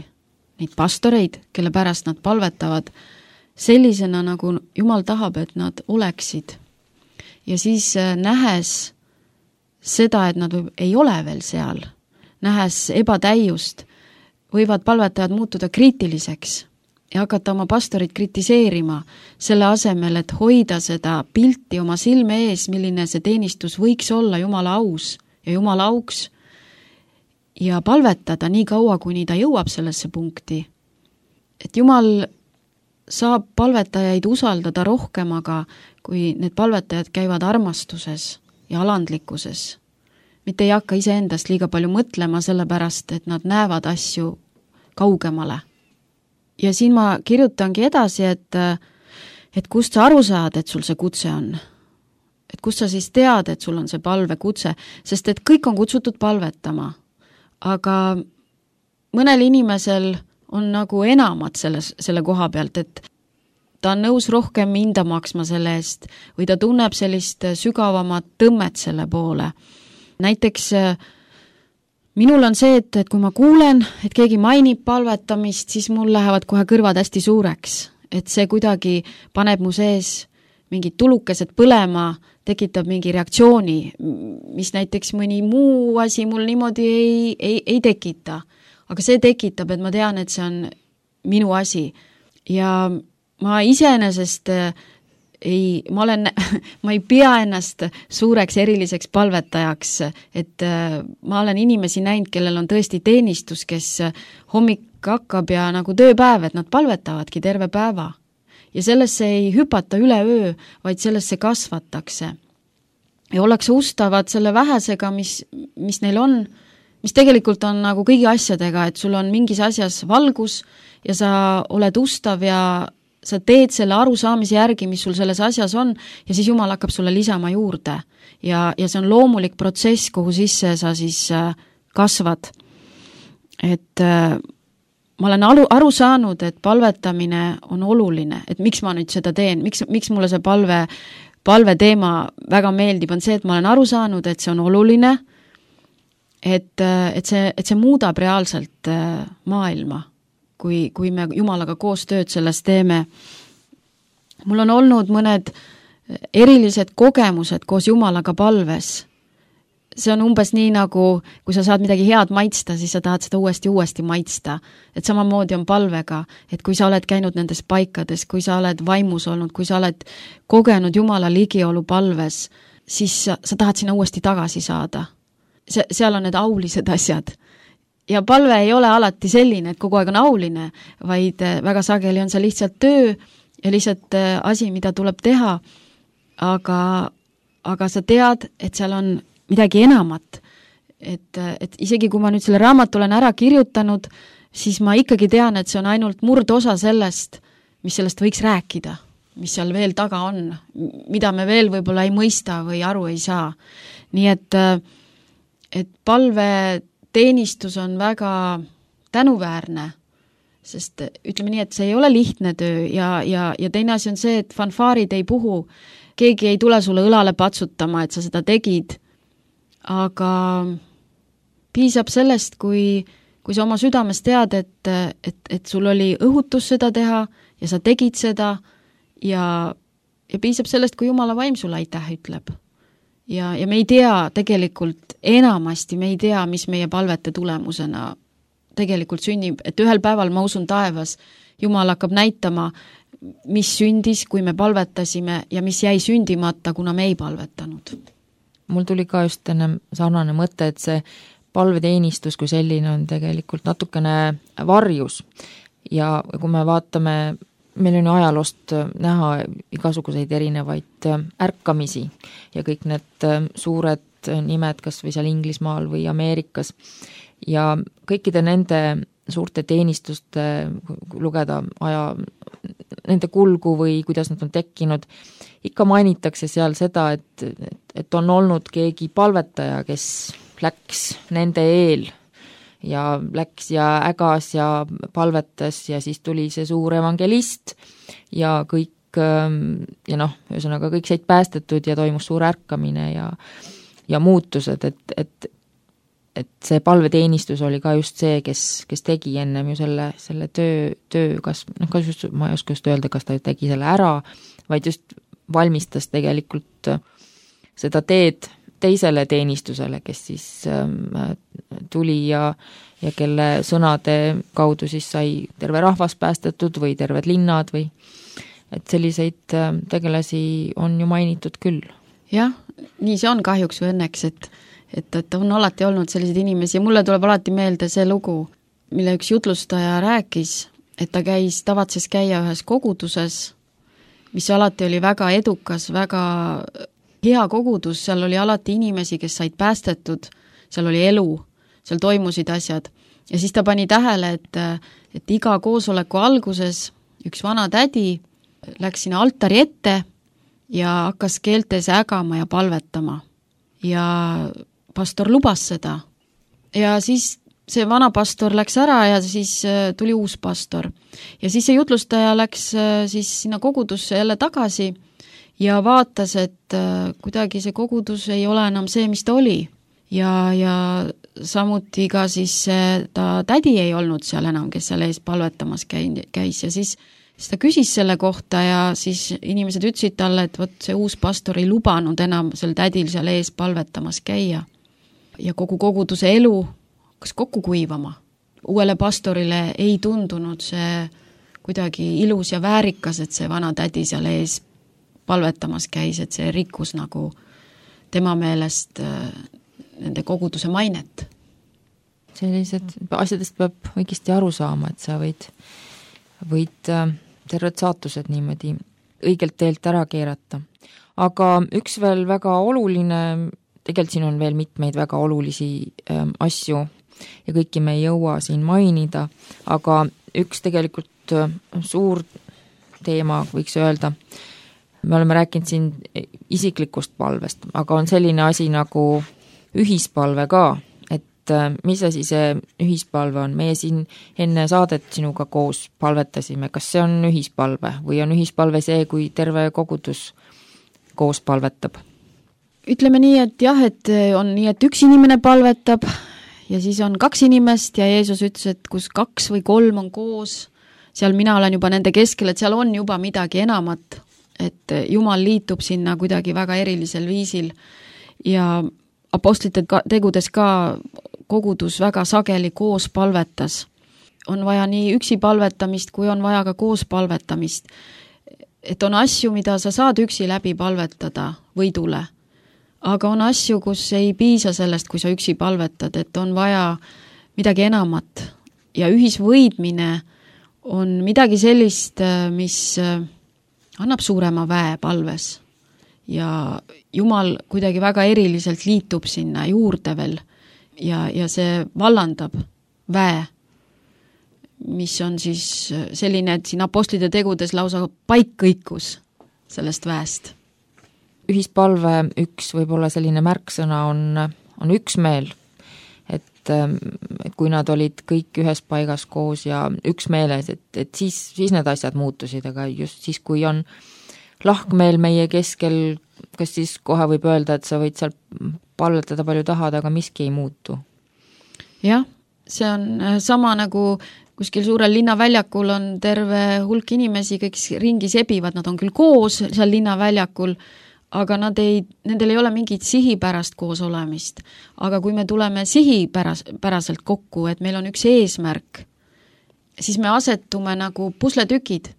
neid pastoreid, kelle pärast nad palvetavad, sellisena, nagu Jumal tahab, et nad oleksid. Ja siis nähes seda, et nad võib, ei ole veel seal, nähes ebatäiust, võivad palvetajad muutuda kriitiliseks ja hakata oma pastorit kritiseerima selle asemel, et hoida seda pilti oma silme ees, milline see teenistus võiks olla Jumala aus ja Jumala auks ja palvetada nii kaua, kuni ta jõuab sellesse punkti. Et Jumal saab palvetajaid usaldada rohkem, aga kui need palvetajad käivad armastuses ja alandlikkuses, mitte ei hakka iseendast liiga palju mõtlema sellepärast, et nad näevad asju kaugemale. Ja siin ma kirjutangi edasi, et, et kust sa aru saad, et sul see kutse on. Et kust sa siis tead, et sul on see palvekutse, sest et kõik on kutsutud palvetama. Aga mõnel inimesel on nagu enamat selles, selle koha pealt, et ta on nõus rohkem hinda maksma selle eest või ta tunneb sellist sügavamat tõmmet selle poole. Näiteks minul on see, et, et kui ma kuulen, et keegi mainib palvetamist, siis mul lähevad kohe kõrvad hästi suureks. Et see kuidagi paneb mu sees mingid tulukesed põlema, tekitab mingi reaktsiooni, mis näiteks mõni muu asi mul niimoodi ei, ei, ei tekita. Aga see tekitab, et ma tean, et see on minu asi. Ja ma iseenesest ei, ma olen, ma ei pea ennast suureks eriliseks palvetajaks, et ma olen inimesi näinud, kellel on tõesti teenistus, kes hommik hakkab ja nagu tööpäev, et nad palvetavadki terve päeva. Ja sellesse ei hüpata üle öö, vaid sellesse kasvatakse. Ja ollakse ustavad selle vähesega, mis, mis neil on, mis tegelikult on nagu kõigi asjadega, et sul on mingis asjas valgus ja sa oled ustav ja sa teed selle arusaamise järgi, mis sul selles asjas on, ja siis Jumal hakkab sulle lisama juurde. Ja, ja see on loomulik protsess, kuhu sisse sa siis kasvad. Et ma olen aru, aru saanud, et palvetamine on oluline, et miks ma nüüd seda teen, miks, miks mulle see palve, palve teema väga meeldib, on see, et ma olen aru saanud, et see on oluline, et, et, see, et see muudab reaalselt maailma. Kui, kui me Jumalaga koos tööd selles teeme. Mul on olnud mõned erilised kogemused koos Jumalaga palves. See on umbes nii nagu, kui sa saad midagi head maitsta, siis sa tahad seda uuesti uuesti maitsta. Et samamoodi on palvega, et kui sa oled käinud nendes paikades, kui sa oled vaimus olnud, kui sa oled kogenud Jumala ligiolu palves, siis sa, sa tahad sinna uuesti tagasi saada. Se, seal on need aulised asjad. Ja palve ei ole alati selline, et kogu aeg on auline, vaid väga sageli on see lihtsalt töö ja lihtsalt asi, mida tuleb teha, aga, aga sa tead, et seal on midagi enamat. Et, et isegi kui ma nüüd selle raamatu olen ära kirjutanud, siis ma ikkagi tean, et see on ainult murdosa sellest, mis sellest võiks rääkida, mis seal veel taga on, mida me veel võib-olla ei mõista või aru ei saa. Nii et, et palve teenistus on väga tänuväärne, sest ütleme nii, et see ei ole lihtne töö ja, ja, ja teine asi on see, et fanfaarid ei puhu, keegi ei tule sulle õlale patsutama, et sa seda tegid, aga piisab sellest, kui, kui sa oma südames tead, et, et, et sul oli õhutus seda teha ja sa tegid seda ja, ja piisab sellest, kui Jumala vaim sulle aitäh ütleb. Ja, ja me ei tea tegelikult enamasti, me ei tea, mis meie palvete tulemusena tegelikult sünnib, et ühel päeval ma usun taevas, Jumal hakkab näitama, mis sündis, kui me palvetasime ja mis jäi sündimata, kuna me ei palvetanud. Mul tuli ka just enne sarnane mõte, et see palveteenistus kui selline on tegelikult natukene varjus ja kui me vaatame, meil on ajaloost näha igasuguseid erinevaid ärkamisi ja kõik need suured nimed, kas või seal Inglismaal või Ameerikas ja kõikide nende suurte teenistuste lugeda aja, nende kulgu või kuidas nad on tekkinud, ikka mainitakse seal seda, et, et on olnud keegi palvetaja, kes läks nende eel ja läks ja ägas ja palvetas ja siis tuli see suur evangelist ja kõik ja noh, ühesõnaga kõik said päästetud ja toimus suur ärkamine ja, ja muutused, et, et, et see palveteenistus oli ka just see, kes, kes tegi ennem ju selle, selle töö, töö, kas, noh, kas just, ma ei oska just öelda, kas ta tegi selle ära, vaid just valmistas tegelikult seda teed teisele teenistusele, kes siis äh, tuli ja, ja kelle sõnade kaudu siis sai terve rahvas päästetud või terved linnad või et selliseid äh, tegelasi on ju mainitud küll. Jah, nii see on kahjuks või õnneks, et, et, et on alati olnud selliseid inimesi ja mulle tuleb alati meelde see lugu, mille üks jutlustaja rääkis, et ta käis, tavatses käia ühes koguduses, mis alati oli väga edukas, väga hea kogudus, seal oli alati inimesi, kes said päästetud, seal oli elu, seal toimusid asjad. Ja siis ta pani tähele, et, et iga koosoleku alguses üks vana tädi läks sinna altari ette ja hakkas keeltes ägama ja palvetama. Ja pastor lubas seda. Ja siis see vana pastor läks ära ja siis tuli uus pastor. Ja siis see jutlustaja läks siis sinna kogudusse jälle tagasi ja vaatas, et kuidagi see kogudus ei ole enam see, mis ta oli. Ja, ja samuti ka siis ta tädi ei olnud seal enam, kes seal ees palvetamas käis ja siis, siis ta küsis selle kohta ja siis inimesed ütlesid talle, et võt see uus pastor ei lubanud enam sel tädil seal ees palvetamas käia. Ja kogu koguduse elu hakkas kokku kuivama. Uuele pastorile ei tundunud see kuidagi ilus ja väärikas, et see vana tädi seal ees palvetamas käis, et see rikkus nagu tema meelest nende koguduse mainet. Sellised asjadest peab õigesti aru saama, et sa võid, võid terved saatused niimoodi õigelt teelt ära keerata. Aga üks veel väga oluline, tegelikult siin on veel mitmeid väga olulisi ähm, asju ja kõiki me ei jõua siin mainida, aga üks tegelikult äh, suur teema võiks öelda, me oleme rääkinud siin isiklikust palvest, aga on selline asi nagu ühispalve ka, et mis asi see ühispalve on? Meie siin enne saadet sinuga koos palvetasime, kas see on ühispalve või on ühispalve see, kui terve kogudus koos palvetab? Ütleme nii, et jah, et on nii, et üks inimene palvetab ja siis on kaks inimest ja Jeesus ütles, et kus kaks või kolm on koos, seal mina olen juba nende keskel, et seal on juba midagi enamat, et Jumal liitub sinna kuidagi väga erilisel viisil ja apostlite tegudes ka kogudus väga sageli koos palvetas. On vaja nii üksi palvetamist, kui on vaja ka koos palvetamist. Et on asju, mida sa saad üksi läbi palvetada võidule, aga on asju, kus ei piisa sellest, kui sa üksi palvetad, et on vaja midagi enamat. Ja ühisvõidmine on midagi sellist, mis annab suurema väe palves. Ja Jumal kuidagi väga eriliselt liitub sinna juurde veel ja, ja see vallandab väe, mis on siis selline, et siin apostlite tegudes lausa paik kõikus sellest väest. Ühispalve üks võib-olla selline märksõna on, on üksmeel, et, et kui nad olid kõik ühes paigas koos ja üksmeeles, et, et siis, siis need asjad muutusid, aga just siis, kui on lahkmeel meie keskel, kas siis kohe võib öelda, et sa võid seal palvetada palju tahad, aga miski ei muutu? Jah, see on sama nagu kuskil suurel linnaväljakul on terve hulk inimesi, kõik ringi sebivad, nad on küll koos seal linnaväljakul, aga nad ei, nendel ei ole mingit sihipärast koos olemist. Aga kui me tuleme sihipäraselt kokku, et meil on üks eesmärk, siis me asetume nagu pusletükid,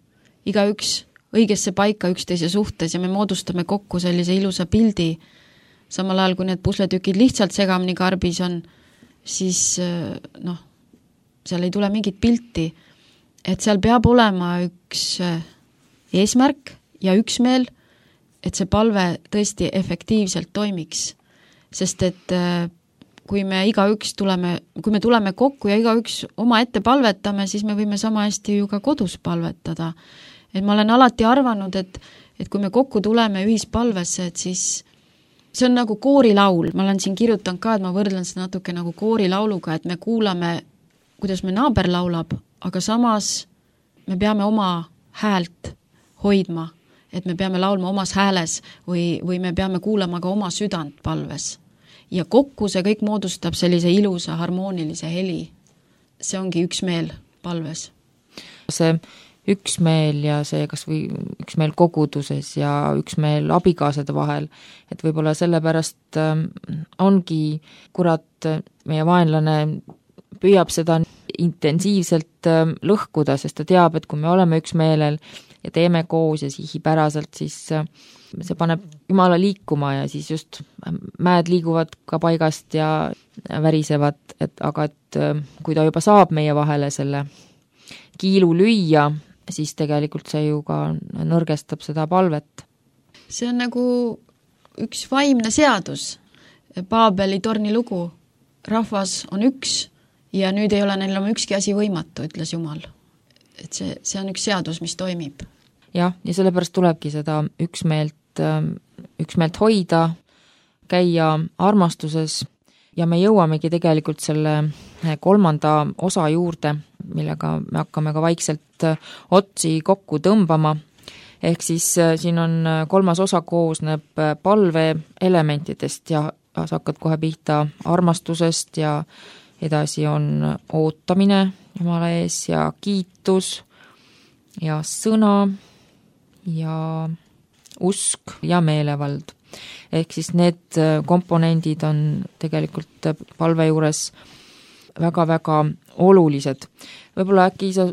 iga üks õigesse paika üksteise suhtes ja me moodustame kokku sellise ilusa pildi. Samal ajal, kui need pusletükid lihtsalt segamini karbis on, siis noh, seal ei tule mingit pilti. Et seal peab olema üks eesmärk ja üksmeel, et see palve tõesti efektiivselt toimiks. Sest et kui me iga üks tuleme, kui me tuleme kokku ja iga üks oma ette palvetame, siis me võime sama hästi ju ka kodus palvetada. Et ma olen alati arvanud, et, et kui me kokku tuleme ühispalvesse, et siis see on nagu koorilaul. Ma olen siin kirjutanud ka, et ma võrdlen seda natuke nagu koorilauluga, et me kuulame, kuidas me naaber laulab, aga samas me peame oma häält hoidma, et me peame laulma omas hääles või, või me peame kuulama ka oma südant palves. Ja kokku see kõik moodustab sellise ilusa harmoonilise heli. See ongi üksmeel palves. See üksmeel ja see kas või üksmeel koguduses ja üksmeel abikaasade vahel, et võib-olla sellepärast ongi kurat, meie vaenlane püüab seda intensiivselt lõhkuda, sest ta teab, et kui me oleme üksmeelel ja teeme koos ja sihipäraselt, siis see paneb Jumala liikuma ja siis just mäed liiguvad ka paigast ja värisevad, et aga et kui ta juba saab meie vahele selle kiilu lüüa, siis tegelikult see ju ka nõrgestab seda palvet. See on nagu üks vaimne seadus, Paabeli torni lugu. Rahvas on üks ja nüüd ei ole neil oma ükski asi võimatu, ütles Jumal. Et see, see on üks seadus, mis toimib. jah, ja sellepärast tulebki seda üksmeelt, üksmeelt hoida, käia armastuses ja me jõuamegi tegelikult selle kolmanda osa juurde, millega me hakkame ka vaikselt otsi kokku tõmbama. Ehk siis siin on kolmas osa koosneb palve elementidest ja sa hakkad kohe pihta armastusest ja edasi on ootamine Jumala ees ja kiitus ja sõna ja usk ja meelevald. Ehk siis need komponendid on tegelikult palve juures väga-väga olulised. Võib-olla äkki sa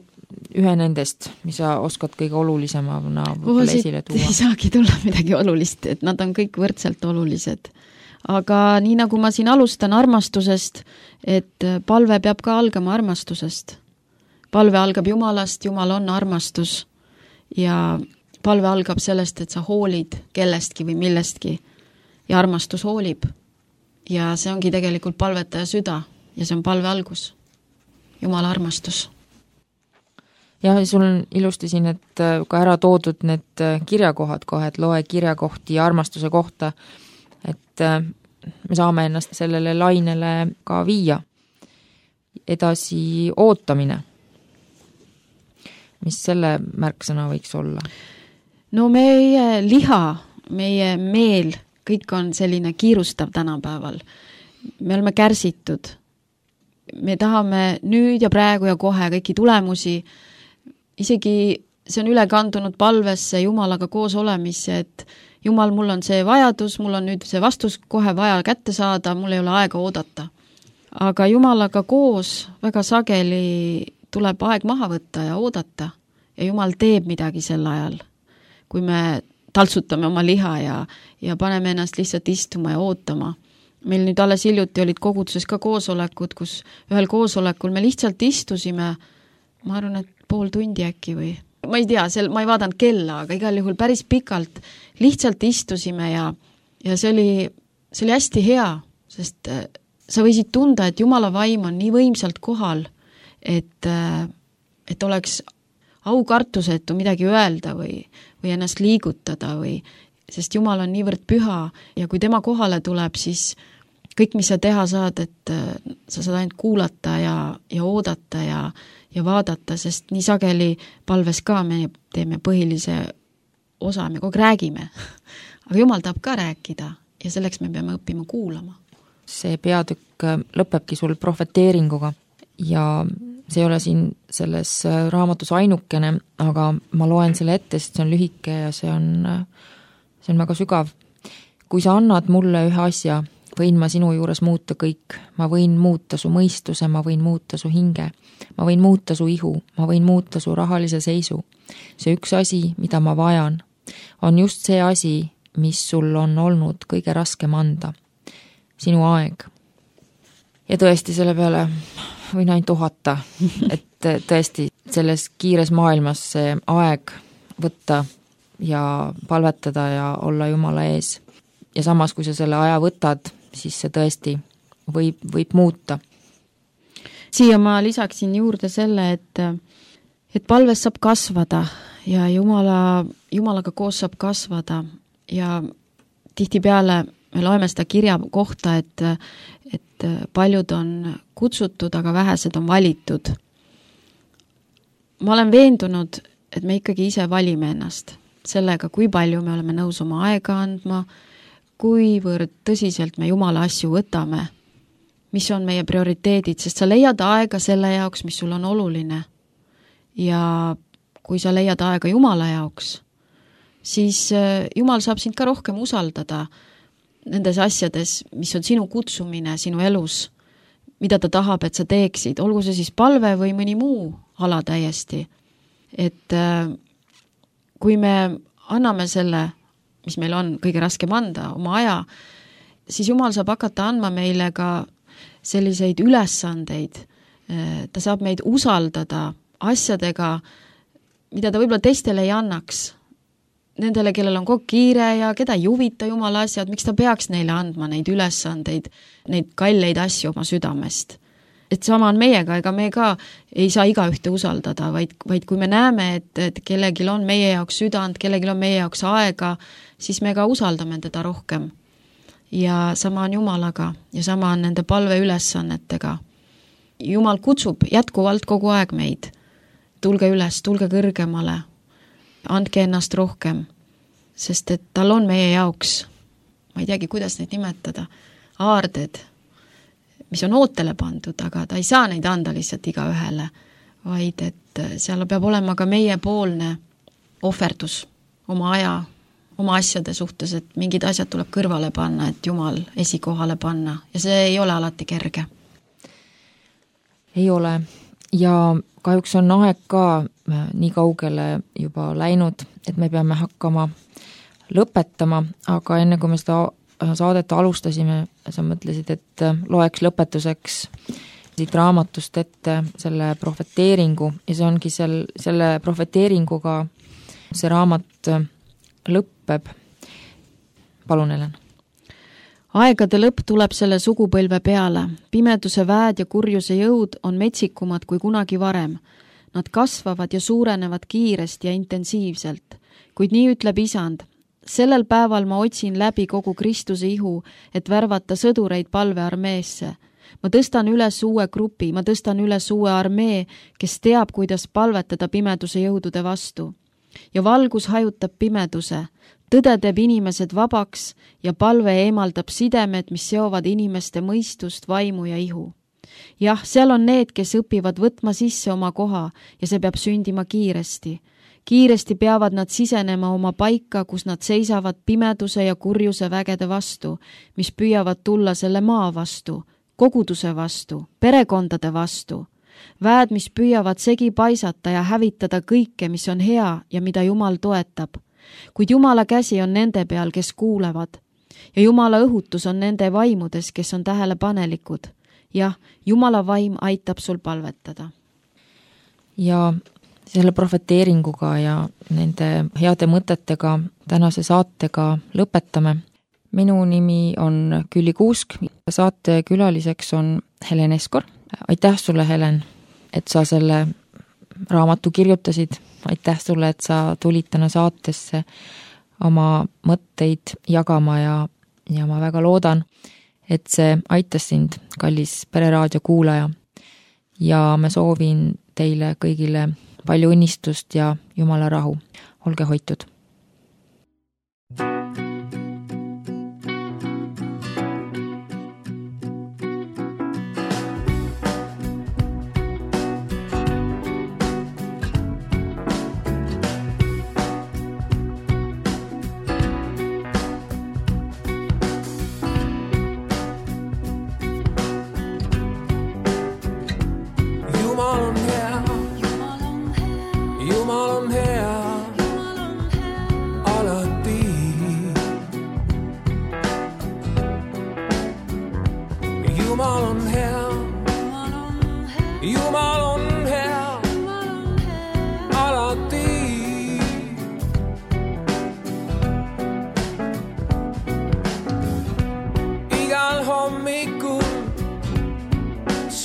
ühe nendest, mis sa oskad kõige olulisemana esile tuua? Ei saagi tulla midagi olulist, et nad on kõik võrdselt olulised. Aga nii nagu ma siin alustan armastusest, et palve peab ka algama armastusest. Palve algab Jumalast, Jumal on armastus ja palve algab sellest, et sa hoolid kellestki või millestki ja armastus hoolib. Ja see ongi tegelikult palvetaja süda ja see on palve algus. Jumala armastus. Ja sul on ilusti siin, et ka ära toodud need kirjakohad kohe, et loe kirjakohti armastuse kohta, et me saame ennast sellele lainele ka viia. Edasi ootamine. Mis selle märksõna võiks olla? No meie liha, meie meel, kõik on selline kiirustav tänapäeval. Me oleme kärsitud. Me tahame nüüd ja praegu ja kohe kõiki tulemusi. Isegi see on üle kandunud palvesse Jumalaga koos olemisse, et Jumal, mul on see vajadus, mul on nüüd see vastus kohe vaja kätte saada, mul ei ole aega oodata. Aga Jumalaga koos väga sageli tuleb aeg maha võtta ja oodata ja Jumal teeb midagi sel ajal. Kui me taltsutame oma liha ja, ja paneme ennast lihtsalt istuma ja ootama. Meil nüüd alles hiljuti olid koguduses ka koosolekud, kus ühel koosolekul me lihtsalt istusime, ma arvan, et pool tundi äkki või ma ei tea, sel, ma ei vaadanud kella, aga igal juhul päris pikalt lihtsalt istusime ja, ja see oli, see oli hästi hea, sest sa võisid tunda, et Jumala vaim on nii võimsalt kohal, et, et oleks aukartusetu midagi öelda või, või ennast liigutada või, sest Jumal on niivõrd püha ja kui tema kohale tuleb, siis kõik, mis sa teha saad, et sa saad ainult kuulata ja, ja oodata ja, ja vaadata, sest nii sageli palves ka me teeme põhilise osa, me kogu räägime. Aga Jumal tahab ka rääkida ja selleks me peame õppima kuulama. See peatükk lõpebki sul profeteeringuga ja see ei ole siin selles raamatus ainukene, aga ma loen selle ette, sest see on lühike ja see on, see on väga sügav. Kui sa annad mulle ühe asja, võin ma sinu juures muuta kõik. Ma võin muuta su mõistuse, ma võin muuta su hinge. Ma võin muuta su ihu, ma võin muuta su rahalise seisu. See üks asi, mida ma vajan, on just see asi, mis sul on olnud kõige raskem anda. Sinu aeg. Ja tõesti selle peale võin ainult uhata, et tõesti selles kiires maailmas see aeg võtta ja palvetada ja olla Jumala ees. Ja samas, kui sa selle aja võtad, siis see tõesti võib, võib muuta. Siia ma lisaksin juurde selle, et, et palves saab kasvada ja Jumala, Jumalaga koos saab kasvada ja tihtipeale me loeme seda kirja kohta, et, et paljud on kutsutud, aga vähesed on valitud. Ma olen veendunud, et me ikkagi ise valime ennast sellega, kui palju me oleme nõus oma aega andma, kuivõrd tõsiselt me Jumala asju võtame, mis on meie prioriteedid, sest sa leiad aega selle jaoks, mis sul on oluline. Ja kui sa leiad aega Jumala jaoks, siis Jumal saab sind ka rohkem usaldada nendes asjades, mis on sinu kutsumine sinu elus, mida ta tahab, et sa teeksid, olgu see siis palve või mõni muu ala täiesti. Et kui me anname selle, mis meil on kõige raskem anda, oma aja, siis Jumal saab hakata andma meile ka selliseid ülesandeid. Ta saab meid usaldada asjadega, mida ta võib-olla teistele ei annaks. Nendele, kellel on kogu kiire ja keda ei huvita Jumala asjad, miks ta peaks neile andma neid ülesandeid, neid kalleid asju oma südamest. et sama on meiega, ega me ka ei saa iga ühte usaldada, vaid, vaid kui me näeme, et, et kellegil on meie jaoks südant, kellegil on meie jaoks aega, siis me ka usaldame teda rohkem. Ja sama on Jumalaga ja sama on nende palve ülesannetega. Jumal kutsub jätkuvalt kogu aeg meid. Tulge üles, tulge kõrgemale, andke ennast rohkem, sest et tal on meie jaoks, ma ei teagi, kuidas neid nimetada, aarded, mis on ootele pandud, aga ta ei saa neid anda lihtsalt iga ühele, vaid et seal peab olema ka meie poolne ohverdus oma aja, oma asjade suhtes, et mingid asjad tuleb kõrvale panna, et Jumal esikohale panna ja see ei ole alati kerge. Ei ole ja kahjuks on aeg ka nii kaugele juba läinud, et me peame hakkama lõpetama, aga enne kui me seda saadet alustasime, sa mõtlesid, et loeks lõpetuseks siit raamatust ette selle profeteeringu ja see ongi sel, selle profeteeringuga see raamat lõppeb. Palun, Helen. Aegade lõpp tuleb selle sugupõlve peale. Pimeduse väed ja kurjuse jõud on metsikumad kui kunagi varem. Nad kasvavad ja suurenevad kiiresti ja intensiivselt. Kuid nii ütleb Isand. Sellel päeval ma otsin läbi kogu Kristuse ihu, et värvata sõdureid palvearmeesse. Ma tõstan üles uue grupi, ma tõstan üles uue armee, kes teab, kuidas palvetada pimeduse jõudude vastu. Ja valgus hajutab pimeduse. Tõde teeb inimesed vabaks ja palve eemaldab sidemed, mis seovad inimeste mõistust, vaimu ja ihu. Jah, seal on need, kes õpivad võtma sisse oma koha ja see peab sündima kiiresti. Kiiresti peavad nad sisenema oma paika, kus nad seisavad pimeduse ja kurjuse vägede vastu, mis püüavad tulla selle maa vastu, koguduse vastu, perekondade vastu. Väed, mis püüavad segi paisata ja hävitada kõike, mis on hea ja mida Jumal toetab. Kuid Jumala käsi on nende peal, kes kuulevad. Ja Jumala õhutus on nende vaimudes, kes on tähelepanelikud. Jah, Jumala vaim aitab sul palvetada. Ja selle profeteeringuga ja nende heade mõtetega tänase saatega lõpetame. Minu nimi on Külli Kuusk, saate külaliseks on Helen Eskor. Aitäh sulle, Helen, et sa selle raamatu kirjutasid. Aitäh sulle, et sa tulid täna saatesse oma mõtteid jagama ja, ja ma väga loodan, et see aitas sind, kallis Pereraadio kuulaja. Ja me soovin teile kõigile palju õnnistust ja Jumala rahu. Olge hoitud!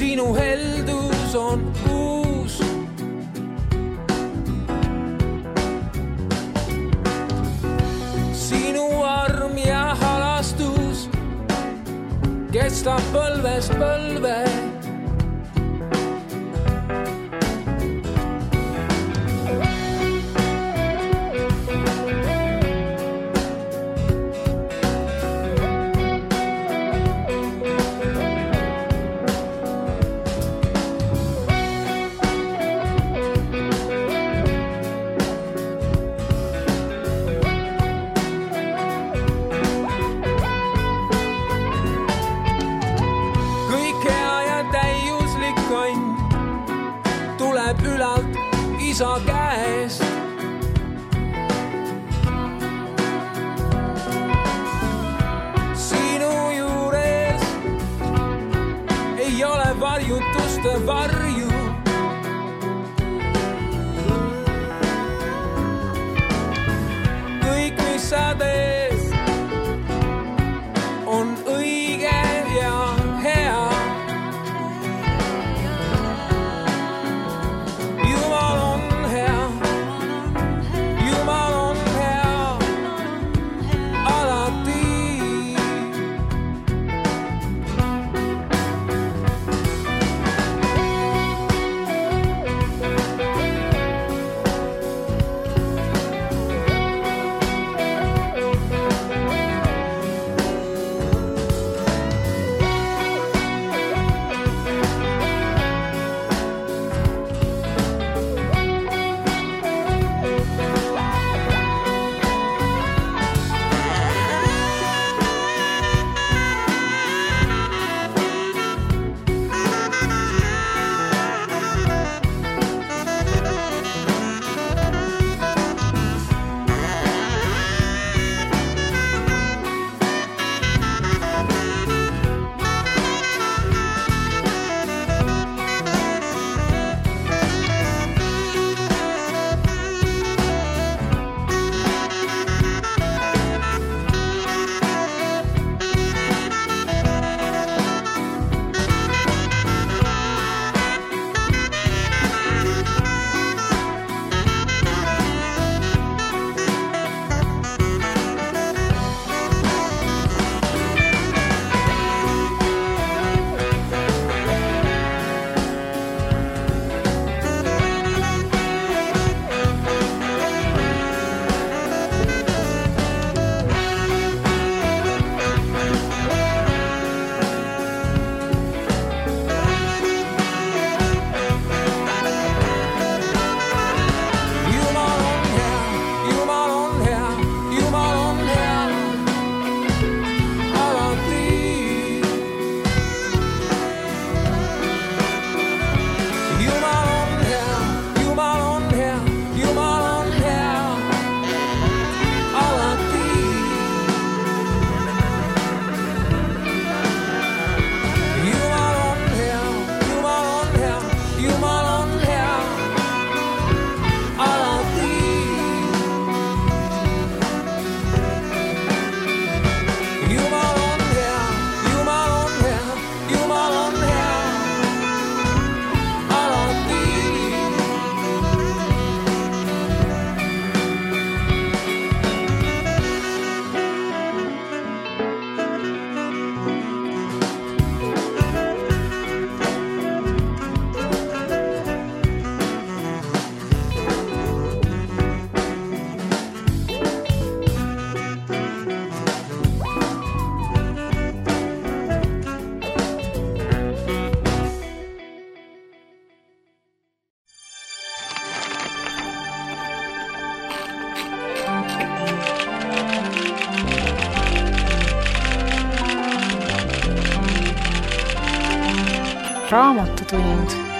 Sinu heldus on uus. Sinu arm ja halastus kestab põlvest põlve. Ülalt isa käest. Sinu juures ei ole varjutuste varju. Kõik, mis sa teed, on õige ja hea. Raamatutund